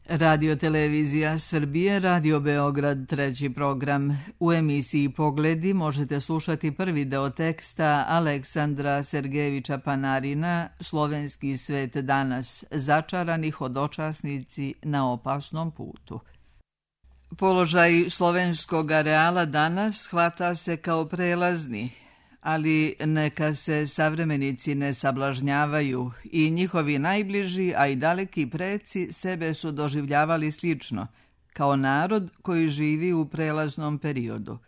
Radio Televizija Srbije, Radio Beograd, treći program. U emisiji Pogledi možete slušati prvi deo teksta Aleksandra Sergejevića Panarina, Slovenski svet danas, začarani hodočasnici na opasnom putu. Položaj slovenskog areala danas hvata se kao prelazni, ali neka se savremenici ne sablažnjavaju i njihovi najbliži, a i daleki preci sebe su doživljavali slično, kao narod koji živi u prelaznom periodu.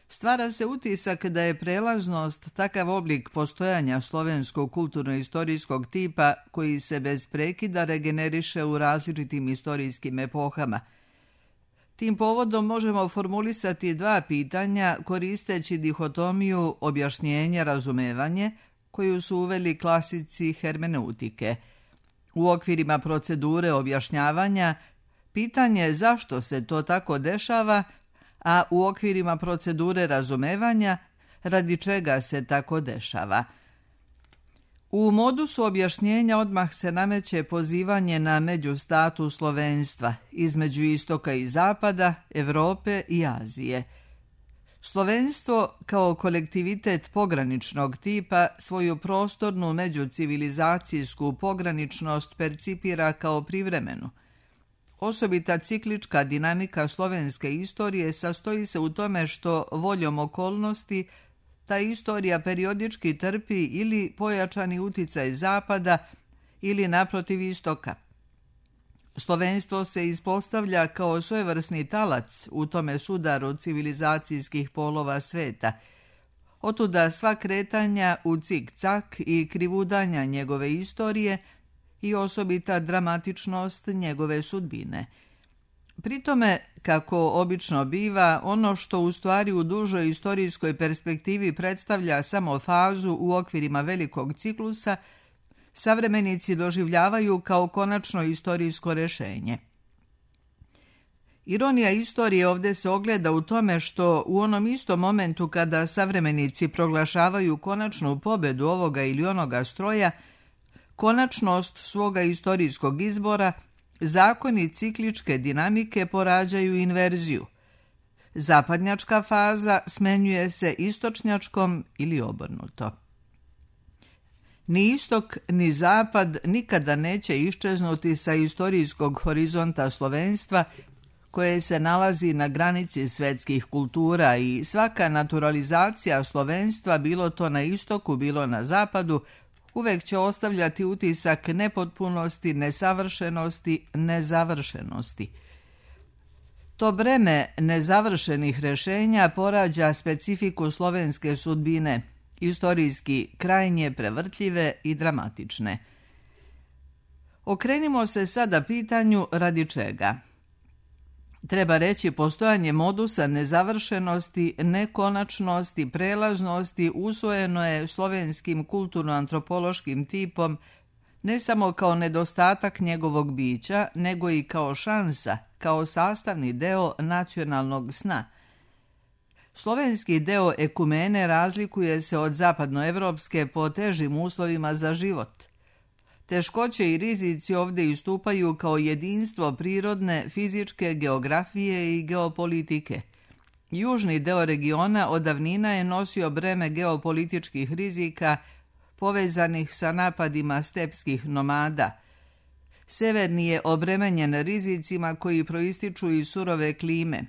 Stvara se utisak da je prelaznost takav oblik postojanja slovenskog kulturno-istorijskog tipa koji se bez prekida regeneriše u različitim istorijskim epohama. Tim povodom možemo formulisati dva pitanja koristeći dihotomiju objašnjenje-razumevanje koju su uveli klasici hermeneutike. U okvirima procedure objašnjavanja pitanje zašto se to tako dešava, a u okvirima procedure razumevanja radi čega se tako dešava. U modusu objašnjenja odmah se nameće pozivanje na međustatus slovenstva između istoka i zapada, Evrope i Azije. Slovenstvo kao kolektivitet pograničnog tipa svoju prostornu međucivilizacijsku pograničnost percipira kao privremenu. Osobita ciklička dinamika slovenske istorije sastoji se u tome što voljom okolnosti ta istorija periodički trpi ili pojačani uticaj zapada ili naprotiv istoka. Slovenstvo se ispostavlja kao svojevrsni talac u tome sudaru civilizacijskih polova sveta. Otuda sva kretanja u cik-cak i krivudanja njegove istorije i osobita dramatičnost njegove sudbine. Pritome, kako obično biva, ono što u stvari u dužoj istorijskoj perspektivi predstavlja samo fazu u okvirima velikog ciklusa, savremenici doživljavaju kao konačno istorijsko rešenje. Ironija istorije ovdje se ogleda u tome što u onom istom momentu kada savremenici proglašavaju konačnu pobedu ovoga ili onoga stroja, konačnost svoga istorijskog izbora, zakoni cikličke dinamike porađaju inverziju. Zapadnjačka faza smenjuje se istočnjačkom ili obrnuto. Ni istok ni zapad nikada neće iščeznuti sa istorijskog horizonta slovenstva koje se nalazi na granici svetskih kultura i svaka naturalizacija slovenstva, bilo to na istoku, bilo na zapadu, uvek će ostavljati utisak nepotpunosti, nesavršenosti, nezavršenosti. To breme nezavršenih rešenja porađa specifiku slovenske sudbine, istorijski krajnje prevrtljive i dramatične. Okrenimo se sada pitanju radi čega. Treba reći postojanje modusa nezavršenosti, nekonačnosti, prelaznosti usvojeno je slovenskim kulturno-antropološkim tipom ne samo kao nedostatak njegovog bića, nego i kao šansa, kao sastavni deo nacionalnog sna. Slovenski deo ekumene razlikuje se od zapadnoevropske po težim uslovima za život. Teškoće i rizici ovdje istupaju kao jedinstvo prirodne, fizičke, geografije i geopolitike. Južni deo regiona od davnina je nosio breme geopolitičkih rizika povezanih sa napadima stepskih nomada. Severni je obremenjen rizicima koji proističu iz surove klime.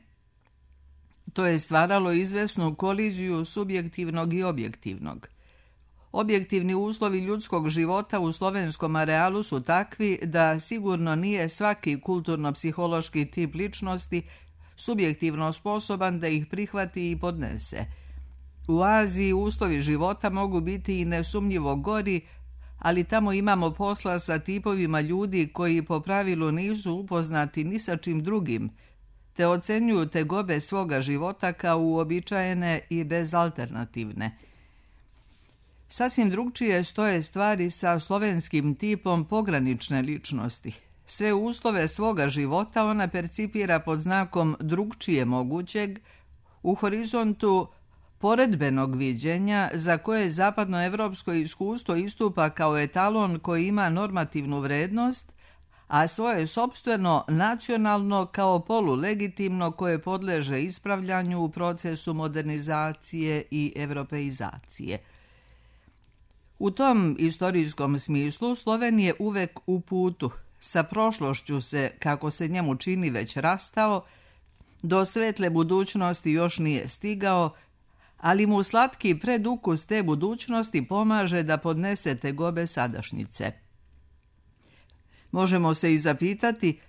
To je stvaralo izvesnu koliziju subjektivnog i objektivnog. Objektivni uslovi ljudskog života u slovenskom arealu su takvi da sigurno nije svaki kulturno-psihološki tip ličnosti subjektivno sposoban da ih prihvati i podnese. U Aziji uslovi života mogu biti i nesumnjivo gori, ali tamo imamo posla sa tipovima ljudi koji po pravilu nisu upoznati ni sa čim drugim, te ocenjuju tegobe svoga života kao uobičajene i bezalternativne. Sasvim drugčije stoje stvari sa slovenskim tipom pogranične ličnosti. Sve uslove svoga života ona percipira pod znakom drugčije mogućeg u horizontu poredbenog viđenja za koje zapadnoevropsko iskustvo istupa kao etalon koji ima normativnu vrednost, a svoje sopstveno nacionalno kao polulegitimno koje podleže ispravljanju u procesu modernizacije i evropeizacije. U tom istorijskom smislu Sloven je uvek u putu, sa prošlošću se, kako se njemu čini, već rastao, do svetle budućnosti još nije stigao, ali mu slatki predukus te budućnosti pomaže da podnese tegobe sadašnjice. Možemo se i zapitati,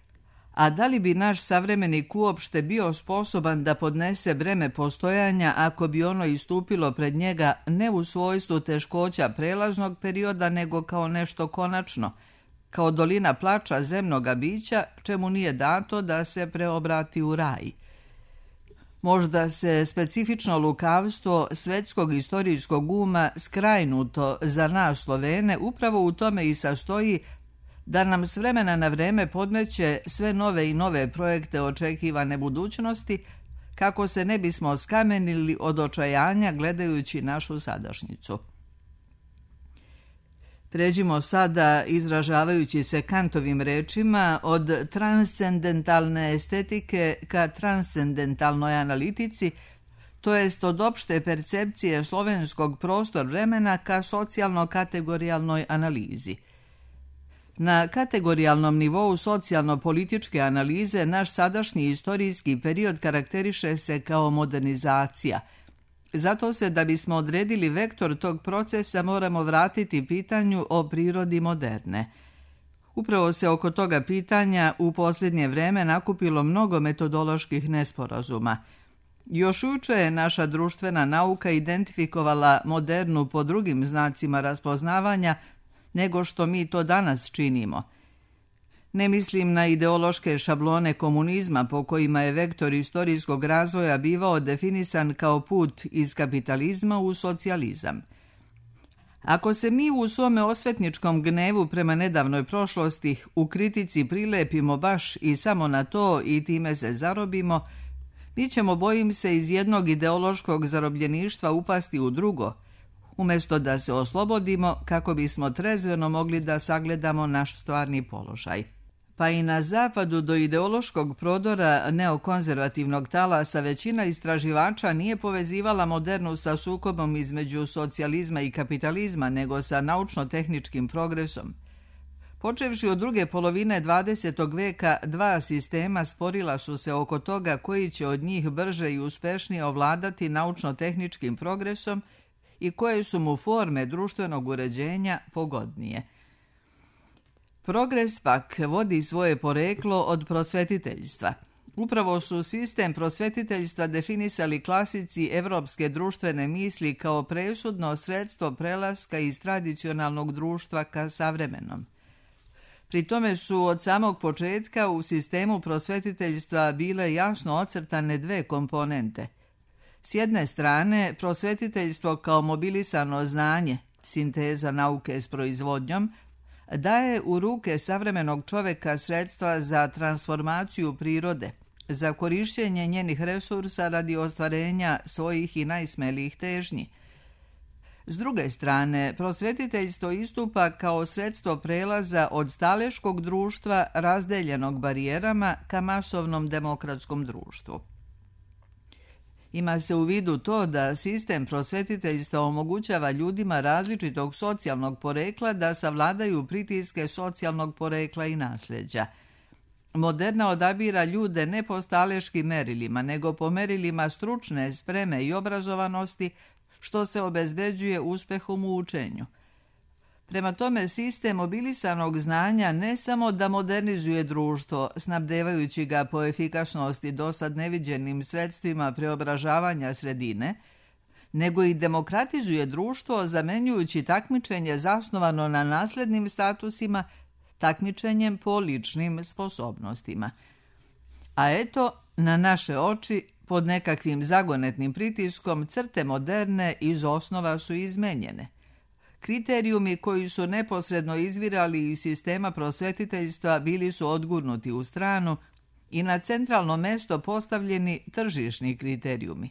a da li bi naš savremenik uopšte bio sposoban da podnese breme postojanja ako bi ono istupilo pred njega ne u svojstvu teškoća prelaznog perioda, nego kao nešto konačno, kao dolina plača zemnoga bića, čemu nije dato da se preobrati u raj. Možda se specifično lukavstvo svetskog istorijskog uma skrajnuto za nas Slovene upravo u tome i sastoji da nam s vremena na vreme podmeće sve nove i nove projekte očekivane budućnosti, kako se ne bismo skamenili od očajanja gledajući našu sadašnjicu. Pređimo sada, izražavajući se Kantovim rečima, od transcendentalne estetike ka transcendentalnoj analitici, to jest od opšte percepcije slovenskog prostor vremena ka socijalno-kategorijalnoj analizi. Na kategorijalnom nivou socijalno-političke analize naš sadašnji istorijski period karakteriše se kao modernizacija. Zato se, da bismo odredili vektor tog procesa, moramo vratiti pitanju o prirodi moderne. Upravo se oko toga pitanja u posljednje vreme nakupilo mnogo metodoloških nesporazuma. Još juče je naša društvena nauka identifikovala modernu po drugim znacima raspoznavanja nego što mi to danas činimo. Ne mislim na ideološke šablone komunizma po kojima je vektor istorijskog razvoja bivao definisan kao put iz kapitalizma u socijalizam. Ako se mi u svome osvetničkom gnevu prema nedavnoj prošlosti u kritici prilepimo baš i samo na to i time se zarobimo, mi ćemo, bojim se, iz jednog ideološkog zarobljeništva upasti u drugo, umjesto da se oslobodimo kako bismo trezveno mogli da sagledamo naš stvarni položaj. Pa i na zapadu do ideološkog prodora neokonzervativnog talasa većina istraživača nije povezivala modernu sa sukobom između socijalizma i kapitalizma, nego sa naučno-tehničkim progresom. Počevši od druge polovine 20. veka, dva sistema sporila su se oko toga koji će od njih brže i uspešnije ovladati naučno-tehničkim progresom i koje su mu forme društvenog uređenja pogodnije. Progres pak vodi svoje poreklo od prosvetiteljstva. Upravo su sistem prosvetiteljstva definisali klasici evropske društvene misli kao presudno sredstvo prelaska iz tradicionalnog društva ka savremenom. Pri tome su od samog početka u sistemu prosvetiteljstva bile jasno ocrtane dve komponente. S jedne strane, prosvetiteljstvo kao mobilisano znanje, sinteza nauke s proizvodnjom, daje u ruke savremenog čoveka sredstva za transformaciju prirode, za korišćenje njenih resursa radi ostvarenja svojih i najsmelijih težnji. S druge strane, prosvetiteljstvo istupa kao sredstvo prelaza od staleškog društva razdeljenog barijerama ka masovnom demokratskom društvu. Ima se u vidu to da sistem prosvetiteljstva omogućava ljudima različitog socijalnog porekla da savladaju pritiske socijalnog porekla i nasljeđa. Moderna odabira ljude ne po staleškim merilima, nego po merilima stručne spreme i obrazovanosti, što se obezbeđuje uspehom u učenju. Prema tome, sistem mobilisanog znanja ne samo da modernizuje društvo, snabdevajući ga po efikasnosti dosad neviđenim sredstvima preobražavanja sredine, nego i demokratizuje društvo zamenjujući takmičenje zasnovano na naslednim statusima takmičenjem po ličnim sposobnostima. A eto, na naše oči, pod nekakvim zagonetnim pritiskom, crte moderne iz osnova su izmenjene. Kriterijumi koji su neposredno izvirali iz sistema prosvetiteljstva bili su odgurnuti u stranu i na centralno mesto postavljeni tržišni kriterijumi.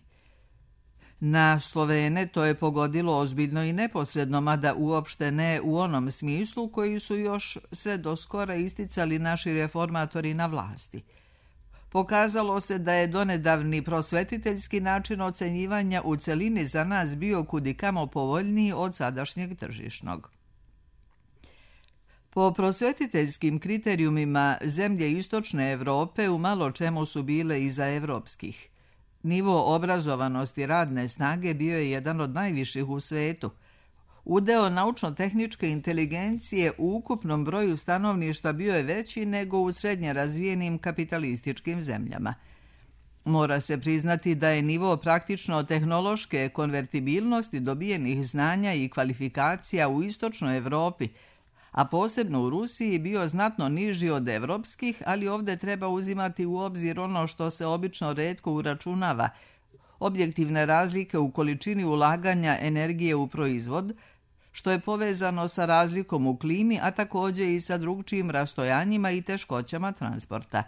Na Slovene to je pogodilo ozbiljno i neposredno, mada uopšte ne u onom smislu koji su još sve do skora isticali naši reformatori na vlasti. Pokazalo se da je donedavni prosvetiteljski način ocenjivanja u celini za nas bio kudikamo povoljniji od sadašnjeg tržišnog. Po prosvetiteljskim kriterijumima zemlje istočne Evrope u malo čemu su bile iza evropskih. Nivo obrazovanosti radne snage bio je jedan od najviših u svetu. Udeo naučno-tehničke inteligencije u ukupnom broju stanovništva bio je veći nego u srednje razvijenim kapitalističkim zemljama. Mora se priznati da je nivo praktično tehnološke konvertibilnosti dobijenih znanja i kvalifikacija u istočnoj Evropi, a posebno u Rusiji, bio znatno niži od evropskih, ali ovdje treba uzimati u obzir ono što se obično retko uračunava, objektivne razlike u količini ulaganja energije u proizvod, što je povezano sa razlikom u klimi, a također i sa drugčijim rastojanjima i teškoćama transporta.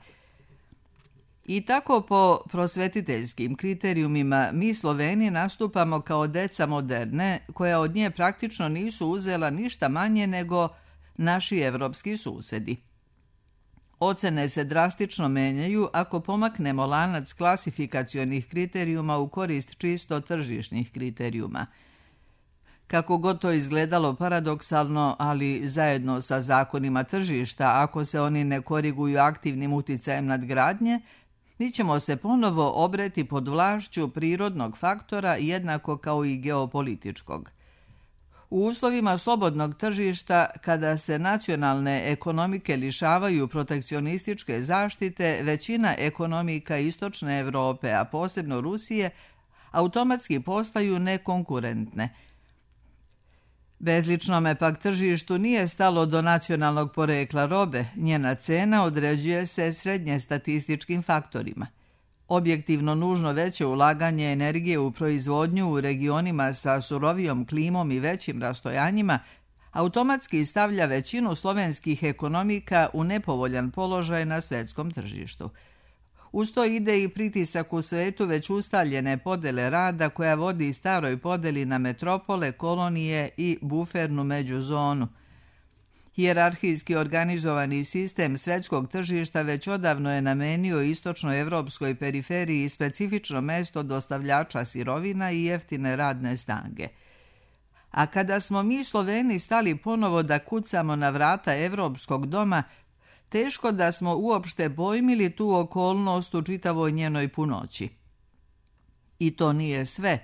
I tako po prosvetiteljskim kriterijumima mi Sloveni nastupamo kao deca moderne, koja od nje praktično nisu uzela ništa manje nego naši evropski susedi. Ocene se drastično menjaju ako pomaknemo lanac klasifikacionih kriterijuma u korist čisto tržišnih kriterijuma. Kako god to izgledalo paradoksalno, ali zajedno sa zakonima tržišta, ako se oni ne koriguju aktivnim uticajem nadgradnje, mi ćemo se ponovo obreti pod vlašću prirodnog faktora jednako kao i geopolitičkog. U uslovima slobodnog tržišta, kada se nacionalne ekonomike lišavaju protekcionističke zaštite, većina ekonomika istočne Evrope, a posebno Rusije, automatski postaju nekonkurentne. Bezličnome pak tržištu nije stalo do nacionalnog porekla robe, njena cena određuje se srednje statističkim faktorima. Objektivno nužno veće ulaganje energije u proizvodnju u regionima sa surovijom klimom i većim rastojanjima automatski stavlja većinu slovenskih ekonomika u nepovoljan položaj na svetskom tržištu. Uz to ide i pritisak u svetu već ustaljene podele rada koja vodi staroj podeli na metropole, kolonije i bufernu međuzonu. Hijerarhijski organizovani sistem svetskog tržišta već odavno je namenio istočnoevropskoj periferiji specifično mesto dostavljača sirovina i jeftine radne snage. A kada smo mi Sloveni stali ponovo da kucamo na vrata evropskog doma, teško da smo uopšte pojmili tu okolnost u čitavoj njenoj punoći. I to nije sve.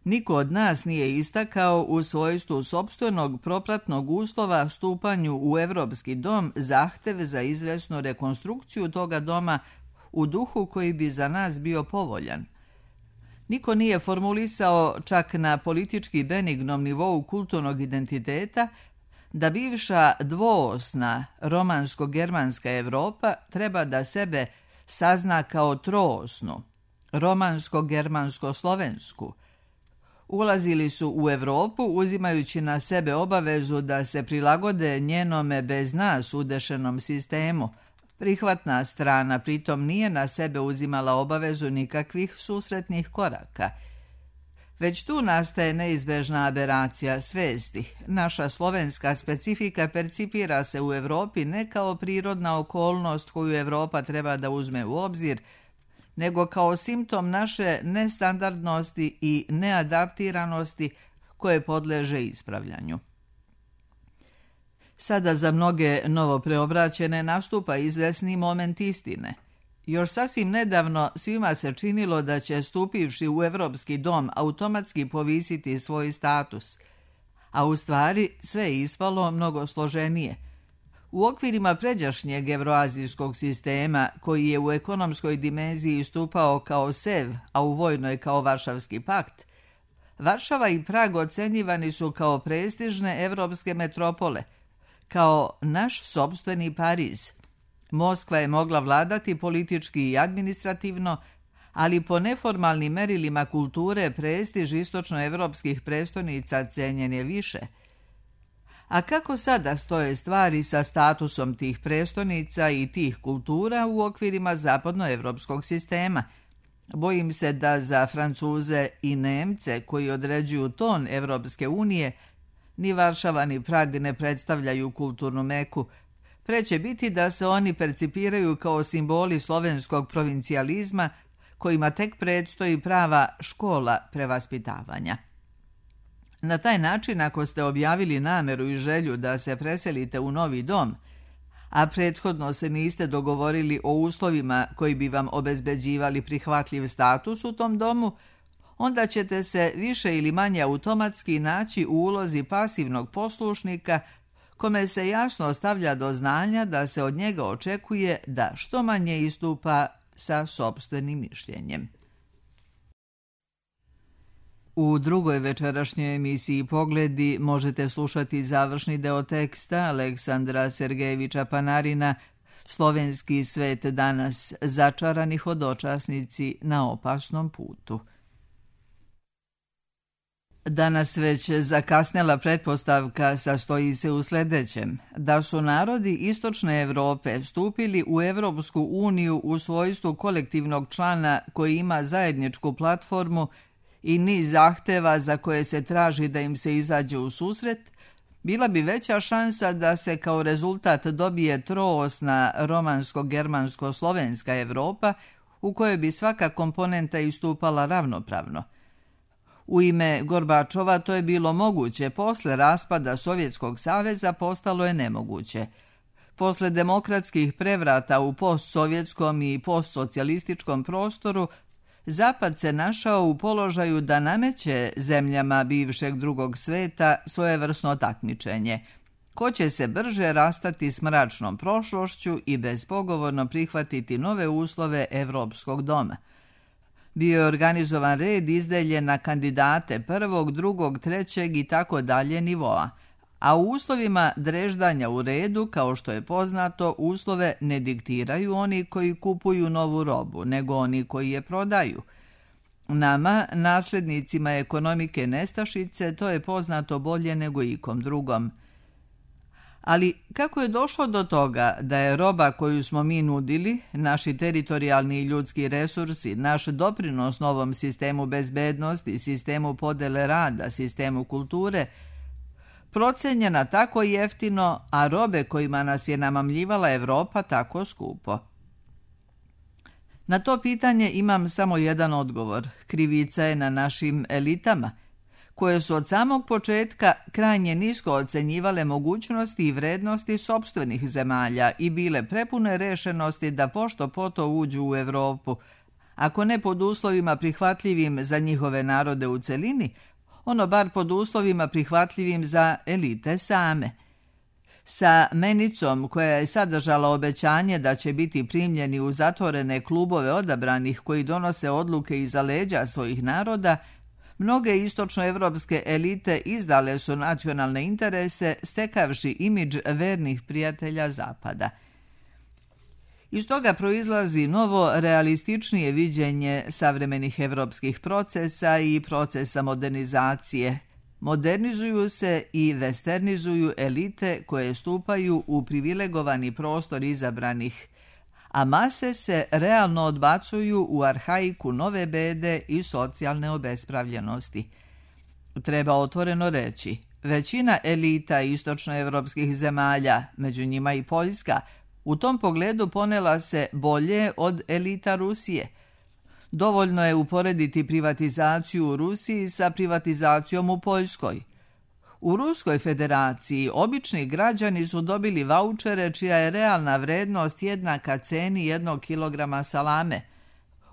Niko od nas nije istakao u svojstvu sopstvenog propratnog uslova stupanju u evropski dom zahtev za izvesnu rekonstrukciju toga doma u duhu koji bi za nas bio povoljan. Niko nije formulisao čak na politički benignom nivou kulturnog identiteta da bivša dvoosna romansko-germanska Evropa treba da sebe sazna kao troosnu, romansko-germansko-slovensku. Ulazili su u Evropu uzimajući na sebe obavezu da se prilagode njenome bez nas udešenom sistemu. Prihvatna strana pritom nije na sebe uzimala obavezu nikakvih susretnih koraka. Već tu nastaje neizbežna aberacija svesti. Naša slovenska specifika percipira se u Evropi ne kao prirodna okolnost koju Evropa treba da uzme u obzir, nego kao simptom naše nestandardnosti i neadaptiranosti koje podleže ispravljanju. Sada za mnoge novopreobraćene nastupa izvesni moment istine. Još sasvim nedavno svima se činilo da će, stupivši u evropski dom, automatski povisiti svoj status, a u stvari sve je ispalo mnogo složenije. U okvirima pređašnjeg evroazijskog sistema, koji je u ekonomskoj dimenziji istupao kao SEV, a u vojnoj kao Varšavski pakt, Varšava i Prag ocenjivani su kao prestižne evropske metropole, kao naš sopstveni Pariz. Moskva je mogla vladati politički i administrativno, ali po neformalnim merilima kulture prestiž istočnoevropskih prestolnica cenjen je više. A kako sada stoje stvari sa statusom tih prestolnica i tih kultura u okvirima zapadnoevropskog sistema? Bojim se da za Francuze i Nemce koji određuju ton Evropske unije ni Varšava ni Prag ne predstavljaju kulturnu meku. Pre će biti da se oni percipiraju kao simboli slovenskog provincijalizma kojima tek predstoji prava škola prevaspitavanja. Na taj način, ako ste objavili nameru i želju da se preselite u novi dom, a prethodno se niste dogovorili o uslovima koji bi vam obezbeđivali prihvatljiv status u tom domu, onda ćete se više ili manje automatski naći u ulozi pasivnog poslušnika kome se jasno stavlja do znanja da se od njega očekuje da što manje istupa sa sopstvenim mišljenjem. U drugoj večerašnjoj emisiji Pogledi možete slušati završni deo teksta Aleksandra Sergejevića Panarina Slovenski svet danas, začarani hodočasnici na opasnom putu. Danas već zakasnela pretpostavka sastoji se u sljedećem, da su narodi Istočne Evrope stupili u Evropsku uniju u svojstvu kolektivnog člana koji ima zajedničku platformu i niz zahteva za koje se traži da im se izađe u susret, bila bi veća šansa da se kao rezultat dobije troosna romansko-germansko-slovenska Evropa u kojoj bi svaka komponenta istupala ravnopravno. U ime Gorbačova to je bilo moguće, posle raspada Sovjetskog saveza postalo je nemoguće. Posle demokratskih prevrata u postsovjetskom i postsocijalističkom prostoru, Zapad se našao u položaju da nameće zemljama bivšeg drugog sveta svojevrsno takmičenje. Ko će se brže rastati s mračnom prošlošću i bezpogovorno prihvatiti nove uslove Evropskog doma. Bio je organizovan red izdeljen na kandidate prvog, drugog, trećeg i tako dalje nivoa, a u uslovima dreždanja u redu, kao što je poznato, uslove ne diktiraju oni koji kupuju novu robu, nego oni koji je prodaju. Nama, nasljednicima ekonomike nestašice, to je poznato bolje nego ikom drugom. Ali kako je došlo do toga da je roba koju smo mi nudili, naši teritorijalni i ljudski resursi, naš doprinos novom sistemu bezbednosti, sistemu podele rada, sistemu kulture, procenjena tako jeftino, a robe kojima nas je namamljivala Evropa tako skupo? Na to pitanje imam samo jedan odgovor. Krivica je na našim elitama, koje su od samog početka krajnje nisko ocenjivale mogućnosti i vrednosti sopstvenih zemalja i bile prepune rešenosti da pošto poto uđu u Evropu, ako ne pod uslovima prihvatljivim za njihove narode u celini, ono bar pod uslovima prihvatljivim za elite same. Sa menicom koja je sadržala obećanje da će biti primljeni u zatvorene klubove odabranih koji donose odluke iza leđa svojih naroda, mnoge istočnoevropske elite izdale su nacionalne interese stekavši imidž vernih prijatelja Zapada. Iz toga proizlazi novo realističnije viđenje savremenih evropskih procesa i procesa modernizacije. Modernizuju se i westernizuju elite koje stupaju u privilegovani prostor izabranih, a mase se realno odbacuju u arhaiku nove bede i socijalne obespravljenosti. Treba otvoreno reći, većina elita istočnoevropskih zemalja, među njima i Poljska, u tom pogledu ponela se bolje od elita Rusije. Dovoljno je uporediti privatizaciju u Rusiji sa privatizacijom u Poljskoj. U Ruskoj federaciji obični građani su dobili vaučere čija je realna vrednost jednaka ceni 1 kilograma salame.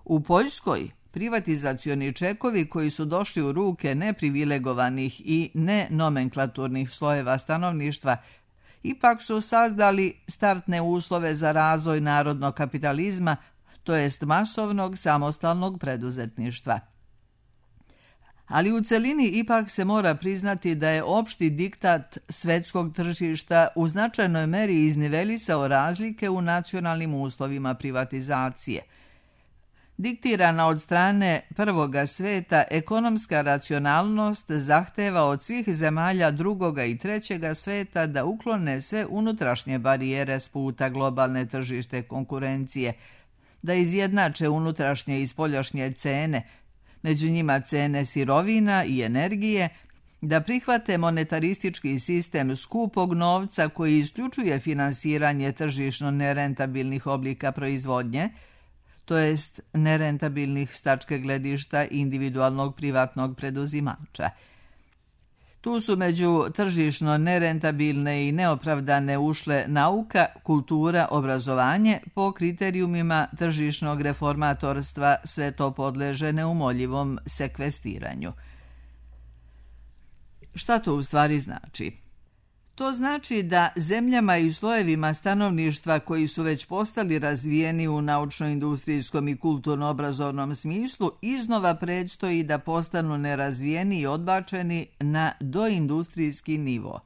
U Poljskoj privatizacioni čekovi koji su došli u ruke neprivilegovanih i nenomenklaturnih slojeva stanovništva ipak su sazdali startne uslove za razvoj narodnog kapitalizma, to jest masovnog samostalnog preduzetništva. Ali u celini ipak se mora priznati da je opšti diktat svetskog tržišta u značajnoj meri iznivelisao razlike u nacionalnim uslovima privatizacije. Diktirana od strane prvoga sveta, ekonomska racionalnost zahteva od svih zemalja drugoga i trećega sveta da uklone sve unutrašnje barijere s puta globalne tržište konkurencije, da izjednače unutrašnje i spoljašnje cene, među njima cene sirovina i energije, da prihvate monetaristički sistem skupog novca koji isključuje finansiranje tržišno nerentabilnih oblika proizvodnje, to jest nerentabilnih s tačke gledišta individualnog privatnog preduzimača. Tu su među tržišno nerentabilne i neopravdane ušle nauka, kultura, obrazovanje, po kriterijumima tržišnog reformatorstva sve to podleže neumoljivom sekvestiranju. Šta to u stvari znači? To znači da zemljama i slojevima stanovništva koji su već postali razvijeni u naučno-industrijskom i kulturno-obrazovnom smislu iznova predstoji da postanu nerazvijeni i odbačeni na doindustrijski nivo.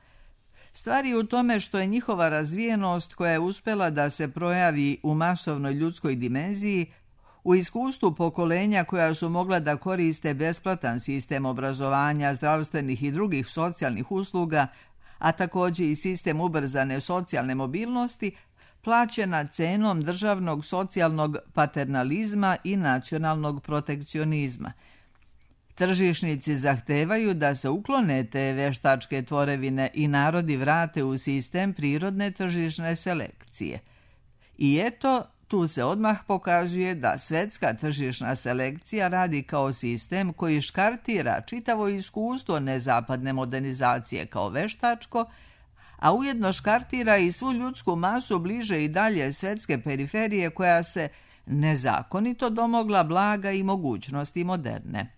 Stvar je u tome što je njihova razvijenost koja je uspela da se projavi u masovnoj ljudskoj dimenziji, u iskustvu pokolenja koja su mogla da koriste besplatan sistem obrazovanja, zdravstvenih i drugih socijalnih usluga, a također i sistem ubrzane socijalne mobilnosti, plaćena cenom državnog socijalnog paternalizma i nacionalnog protekcionizma. Tržišnici zahtevaju da se uklone te veštačke tvorevine i narodi vrate u sistem prirodne tržišne selekcije. I eto, tu se odmah pokazuje da svetska tržišna selekcija radi kao sistem koji škartira čitavo iskustvo nezapadne modernizacije kao veštačko, a ujedno škartira i svu ljudsku masu bliže i dalje svetske periferije koja se nezakonito domogla blaga i mogućnosti moderne.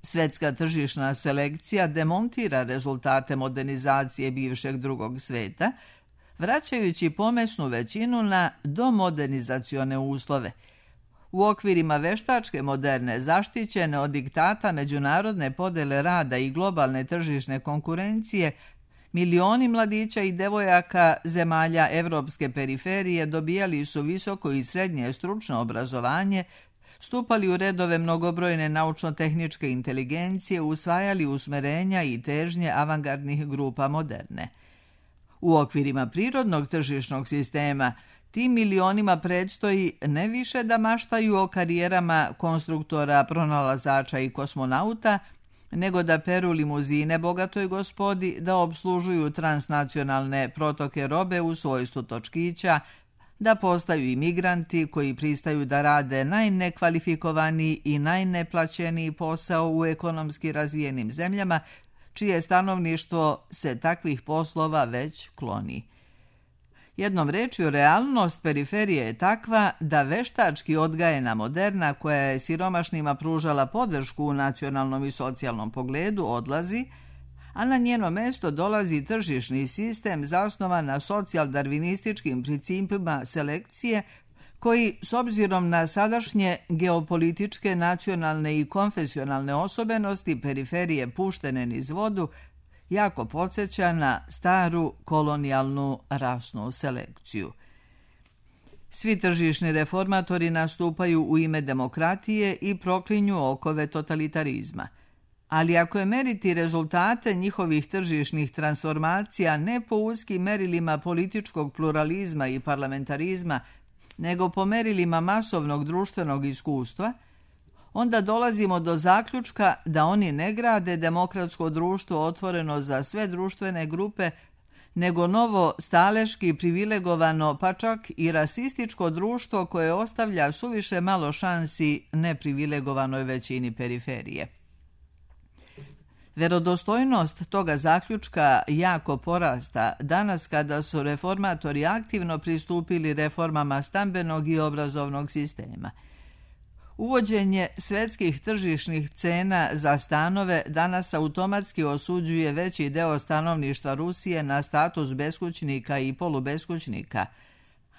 Svetska tržišna selekcija demontira rezultate modernizacije bivšeg drugog sveta, vraćajući pomesnu većinu na domodernizacione uslove. U okvirima veštačke moderne zaštićene od diktata međunarodne podele rada i globalne tržišne konkurencije, milioni mladića i devojaka zemalja evropske periferije dobijali su visoko i srednje stručno obrazovanje, stupali u redove mnogobrojne naučno-tehničke inteligencije, usvajali usmerenja i težnje avangardnih grupa moderne. U okvirima prirodnog tržišnog sistema tim milionima predstoji ne više da maštaju o karijerama konstruktora, pronalazača i kosmonauta, nego da peru limuzine bogatoj gospodi, da obslužuju transnacionalne protoke robe u svojstvu točkića, da postaju imigranti koji pristaju da rade najnekvalifikovaniji i najneplaćeniji posao u ekonomski razvijenim zemljama, čije stanovništvo se takvih poslova već kloni. Jednom rečju, realnost periferije je takva da veštački odgajena moderna, koja je siromašnima pružala podršku u nacionalnom i socijalnom pogledu, odlazi, a na njeno mesto dolazi tržišni sistem zasnovan na socijal-darvinističkim principima selekcije, koji, s obzirom na sadašnje geopolitičke, nacionalne i konfesionalne osobenosti periferije puštene niz vodu, jako podsjeća na staru kolonijalnu rasnu selekciju. Svi tržišni reformatori nastupaju u ime demokratije i proklinju okove totalitarizma. Ali ako je meriti rezultate njihovih tržišnih transformacija ne po uskim merilima političkog pluralizma i parlamentarizma, nego po merilima masovnog društvenog iskustva, onda dolazimo do zaključka da oni ne grade demokratsko društvo otvoreno za sve društvene grupe, nego novo staleški privilegovano, pa čak i rasističko društvo koje ostavlja suviše malo šansi neprivilegovanoj većini periferije. Verodostojnost toga zaključka jako porasta danas kada su reformatori aktivno pristupili reformama stambenog i obrazovnog sistema. Uvođenje svetskih tržišnih cena za stanove danas automatski osuđuje veći deo stanovništva Rusije na status beskućnika i polubeskućnika,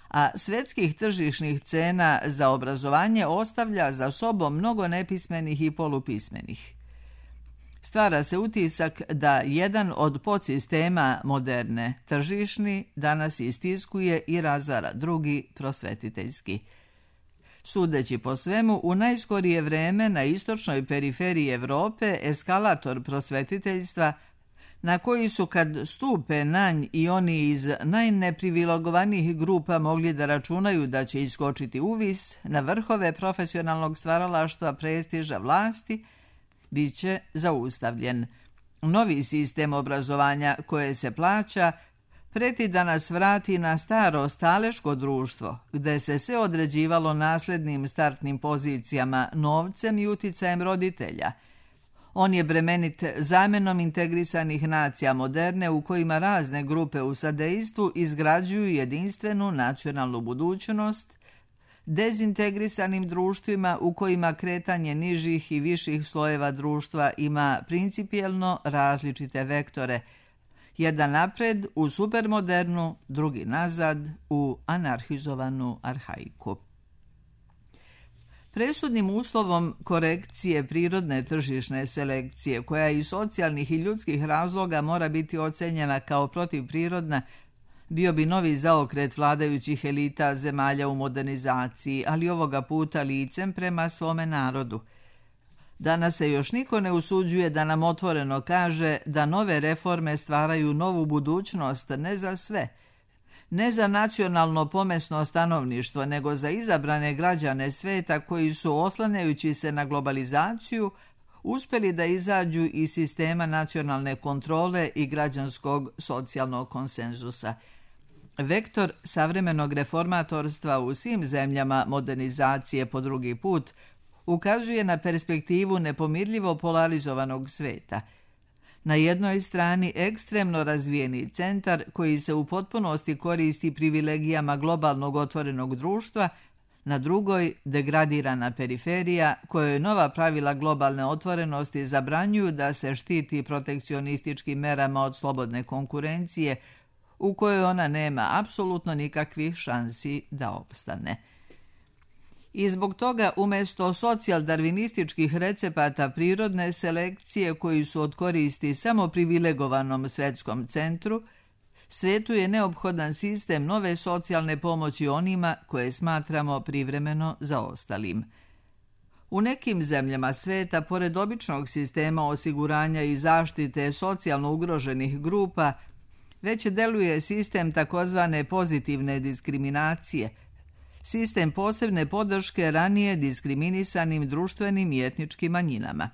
a svetskih tržišnih cena za obrazovanje ostavlja za sobom mnogo nepismenih i polupismenih. Stvara se utisak da jedan od podsistema moderne, tržišni, danas istiskuje i razara drugi, prosvetiteljski. Sudeći po svemu, u najskorije vreme na istočnoj periferiji Evrope eskalator prosvetiteljstva na koji su kad stupe na nj i oni iz najneprivilegovanijih grupa mogli da računaju da će iskočiti uvis na vrhove profesionalnog stvaralaštva, prestiža, vlasti, bit će zaustavljen. Novi sistem obrazovanja koje se plaća preti da nas vrati na staro staleško društvo, gde se sve određivalo naslednim startnim pozicijama, novcem i uticajem roditelja. On je bremenit zamenom integrisanih nacija moderne u kojima razne grupe u sadejstvu izgrađuju jedinstvenu nacionalnu budućnost, dezintegrisanim društvima u kojima kretanje nižih i viših slojeva društva ima principijelno različite vektore, jedan napred u supermodernu, drugi nazad u anarhizovanu arhaiku. Presudnim uslovom korekcije prirodne tržišne selekcije, koja iz socijalnih i ljudskih razloga mora biti ocenjena kao protivprirodna, bio bi novi zaokret vladajućih elita zemalja u modernizaciji, ali ovoga puta licem prema svome narodu. Danas se još niko ne usuđuje da nam otvoreno kaže da nove reforme stvaraju novu budućnost ne za sve, ne za nacionalno pomesno stanovništvo, nego za izabrane građane sveta koji su, oslanjajući se na globalizaciju, uspjeli da izađu iz sistema nacionalne kontrole i građanskog socijalnog konsenzusa. Vektor savremenog reformatorstva u svim zemljama modernizacije po drugi put ukazuje na perspektivu nepomirljivo polarizovanog sveta. Na jednoj strani ekstremno razvijeni centar koji se u potpunosti koristi privilegijama globalnog otvorenog društva, na drugoj degradirana periferija kojoj nova pravila globalne otvorenosti zabranjuju da se štiti protekcionističkim merama od slobodne konkurencije, u kojoj ona nema apsolutno nikakvih šansi da opstane. I zbog toga, umjesto socijaldarvinističkih recepata prirodne selekcije koji su od koristi samo privilegovanom svetskom centru, svetu je neophodan sistem nove socijalne pomoći onima koje smatramo privremeno zaostalim. U nekim zemljama sveta, pored običnog sistema osiguranja i zaštite socijalno ugroženih grupa, već deluje sistem takozvane pozitivne diskriminacije, sistem posebne podrške ranije diskriminisanim društvenim i etničkim manjinama.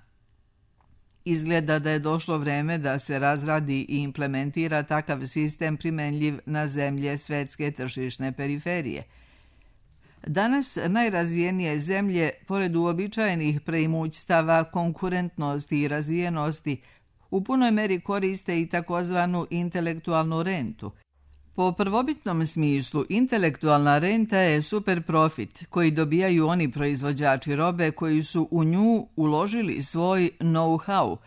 Izgleda da je došlo vreme da se razradi i implementira takav sistem primenljiv na zemlje svetske tržišne periferije. Danas najrazvijenije zemlje, pored uobičajenih preimućstava, konkurentnosti i razvijenosti, u punoj meri koriste i takozvanu intelektualnu rentu. Po prvobitnom smislu, intelektualna renta je superprofit koji dobijaju oni proizvođači robe koji su u nju uložili svoj know-how,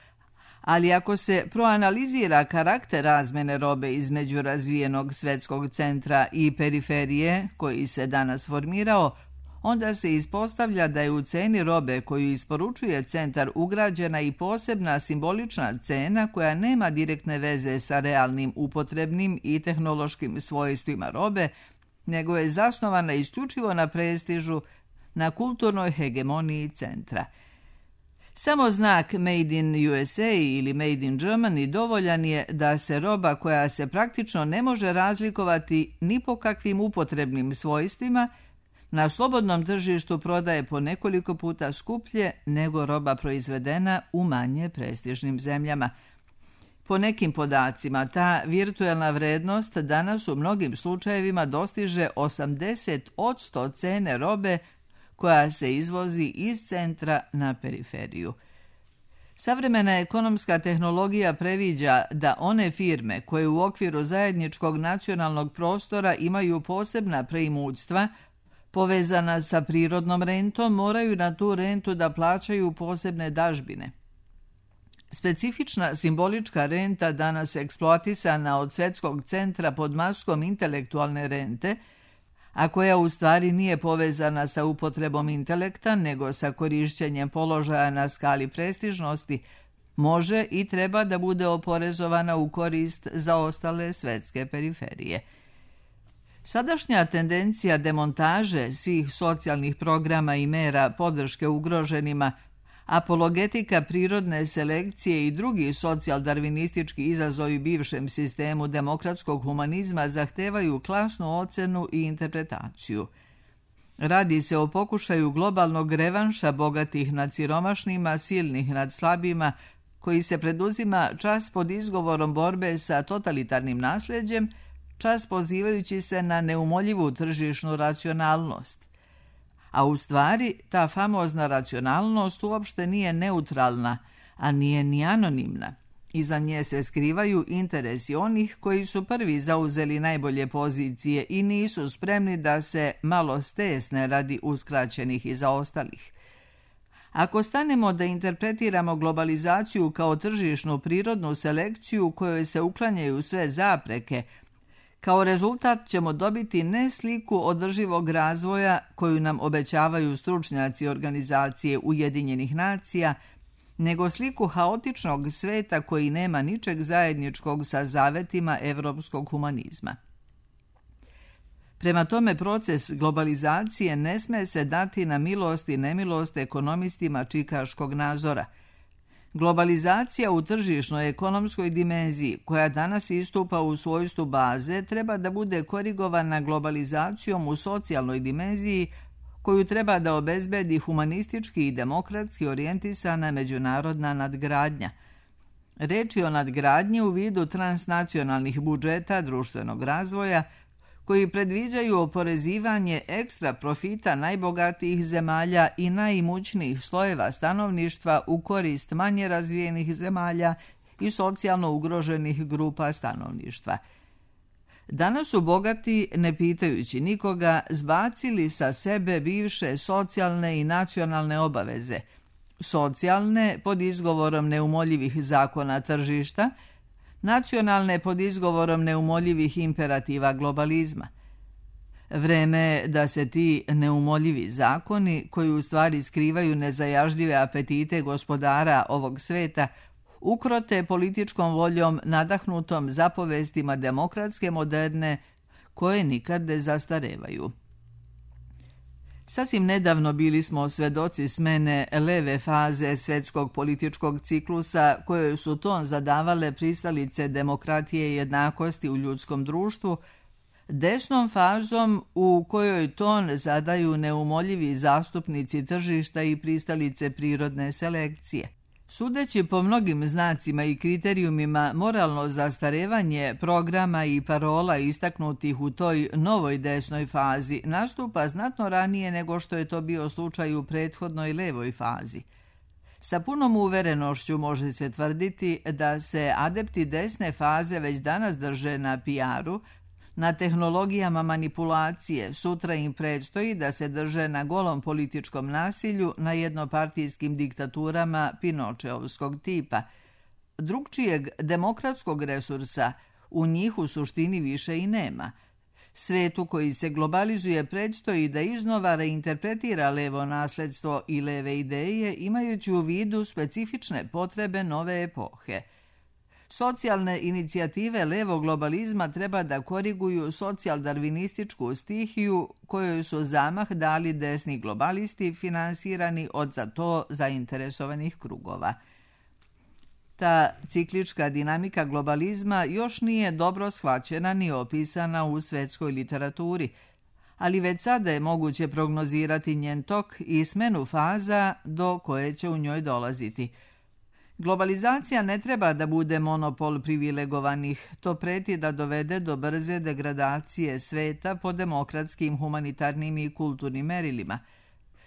ali ako se proanalizira karakter razmene robe između razvijenog svetskog centra i periferije koji se danas formirao, onda se ispostavlja da je u ceni robe koju isporučuje centar ugrađena i posebna simbolična cena koja nema direktne veze sa realnim upotrebnim i tehnološkim svojstvima robe, nego je zasnovana isključivo na prestižu, na kulturnoj hegemoniji centra. Samo znak Made in USA ili Made in Germany dovoljan je da se roba koja se praktično ne može razlikovati ni po kakvim upotrebnim svojstvima na slobodnom tržištu prodaje po nekoliko puta skuplje nego roba proizvedena u manje prestižnim zemljama. Po nekim podacima, ta virtuelna vrednost danas u mnogim slučajevima dostiže 80% cene robe koja se izvozi iz centra na periferiju. Savremena ekonomska tehnologija previđa da one firme koje u okviru zajedničkog nacionalnog prostora imaju posebna preimućstva povezana sa prirodnom rentom, moraju na tu rentu da plaćaju posebne dažbine. Specifična simbolička renta, danas eksploatisana od svetskog centra pod maskom intelektualne rente, a koja u stvari nije povezana sa upotrebom intelekta, nego sa korišćenjem položaja na skali prestižnosti, može i treba da bude oporezovana u korist za ostale svetske periferije. Sadašnja tendencija demontaže svih socijalnih programa i mera podrške ugroženima, Apologetika prirodne selekcije i drugi socijaldarvinistički izazovi bivšem sistemu demokratskog humanizma zahtevaju klasnu ocenu i interpretaciju. Radi se o pokušaju globalnog revanša bogatih nad siromašnima, silnih nad slabima, koji se preduzima čas pod izgovorom borbe sa totalitarnim nasljeđem, čas pozivajući se na neumoljivu tržišnu racionalnost. A u stvari, ta famozna racionalnost uopšte nije neutralna, a nije ni anonimna. Iza nje se skrivaju interesi onih koji su prvi zauzeli najbolje pozicije i nisu spremni da se malo stesne radi uskraćenih i zaostalih. Ako stanemo da interpretiramo globalizaciju kao tržišnu prirodnu selekciju kojoj se uklanjaju sve zapreke, kao rezultat ćemo dobiti ne sliku održivog razvoja koju nam obećavaju stručnjaci organizacije Ujedinjenih nacija, nego sliku haotičnog sveta koji nema ničeg zajedničkog sa zavetima evropskog humanizma. Prema tome, proces globalizacije ne sme se dati na milost i nemilost ekonomistima čikaškog nazora. Globalizacija u tržišnoj ekonomskoj dimenziji, koja danas istupa u svojstvu baze, treba da bude korigovana globalizacijom u socijalnoj dimenziji, koju treba da obezbedi humanistički i demokratski orijentisana međunarodna nadgradnja. Reč je o nadgradnji u vidu transnacionalnih budžeta društvenog razvoja, koji predviđaju oporezivanje ekstra profita najbogatijih zemalja i najimućnijih slojeva stanovništva u korist manje razvijenih zemalja i socijalno ugroženih grupa stanovništva. Danas su bogati, ne pitajući nikoga, zbacili sa sebe bivše socijalne i nacionalne obaveze. Socijalne pod izgovorom neumoljivih zakona tržišta, nacionalne pod izgovorom neumoljivih imperativa globalizma. Vreme je da se ti neumoljivi zakoni, koji u stvari skrivaju nezajažljive apetite gospodara ovog sveta, ukrote političkom voljom nadahnutom zapovestima demokratske moderne, koje nikad ne zastarevaju. Sasvim nedavno bili smo svedoci smene leve faze svetskog političkog ciklusa koje su ton zadavale pristalice demokratije i jednakosti u ljudskom društvu, desnom fazom u kojoj ton zadaju neumoljivi zastupnici tržišta i pristalice prirodne selekcije. Sudeći po mnogim znacima i kriterijumima, moralno zastarevanje programa i parola istaknutih u toj novoj desnoj fazi nastupa znatno ranije nego što je to bio slučaj u prethodnoj levoj fazi. Sa punom uverenošću može se tvrditi da se adepti desne faze već danas drže na PR-u, na tehnologijama manipulacije, sutra im predstoji da se drže na golom političkom nasilju, na jednopartijskim diktaturama Pinočeovskog tipa. Drugčijeg demokratskog resursa u njih u suštini više i nema. Svetu koji se globalizuje predstoji da iznova reinterpretira levo nasledstvo i leve ideje, imajući u vidu specifične potrebe nove epohe. Socijalne inicijative levog globalizma treba da koriguju socijaldarvinističku stihiju kojoj su zamah dali desni globalisti finansirani od za to zainteresovanih krugova. Ta ciklička dinamika globalizma još nije dobro shvaćena ni opisana u svetskoj literaturi, ali već sada je moguće prognozirati njen tok i smenu faza do koje će u njoj dolaziti. Globalizacija ne treba da bude monopol privilegovanih, to preti da dovede do brze degradacije sveta po demokratskim, humanitarnim i kulturnim merilima.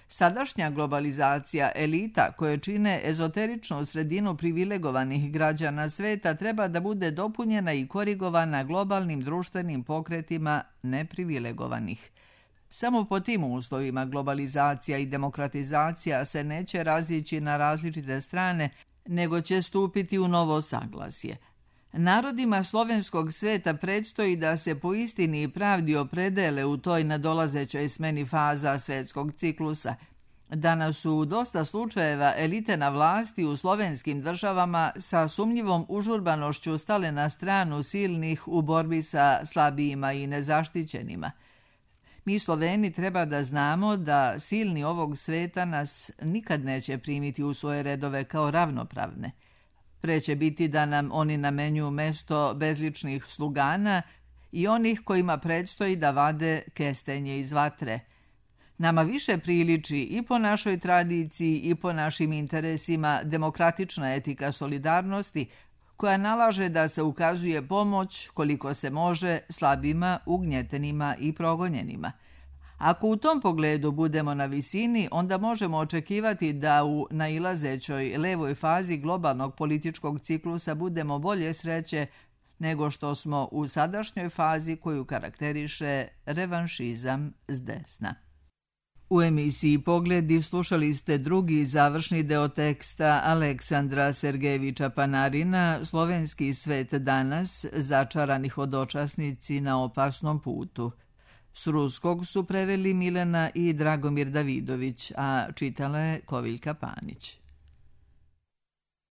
Sadašnja globalizacija elita koje čine ezoteričnu sredinu privilegovanih građana sveta treba da bude dopunjena i korigovana globalnim društvenim pokretima neprivilegovanih. Samo po tim uslovima globalizacija i demokratizacija se neće razići na različite strane, nego će stupiti u novo saglasje. Narodima slovenskog sveta predstoji da se po istini i pravdi opredele u toj nadolazećoj smeni faza svetskog ciklusa. Danas su u dosta slučajeva elite na vlasti u slovenskim državama sa sumnjivom užurbanošću stale na stranu silnih u borbi sa slabijima i nezaštićenima. Mi Sloveni treba da znamo da silni ovog sveta nas nikad neće primiti u svoje redove kao ravnopravne. Pre će biti da nam oni namenjuju mesto bezličnih slugana i onih kojima predstoji da vade kestenje iz vatre. Nama više priliči i po našoj tradiciji i po našim interesima demokratična etika solidarnosti, koja nalaže da se ukazuje pomoć koliko se može slabima, ugnjetenima i progonjenima. Ako u tom pogledu budemo na visini, onda možemo očekivati da u nailazećoj levoj fazi globalnog političkog ciklusa budemo bolje sreće nego što smo u sadašnjoj fazi koju karakteriše revanšizam s desna. U emisiji Pogledi slušali ste drugi završni deo teksta Aleksandra Sergejevića Panarina Slovenski svet danas, začarani hodočasnici na opasnom putu. S ruskog su preveli Milena i Dragomir Davidović, a čitala je Koviljka Panić.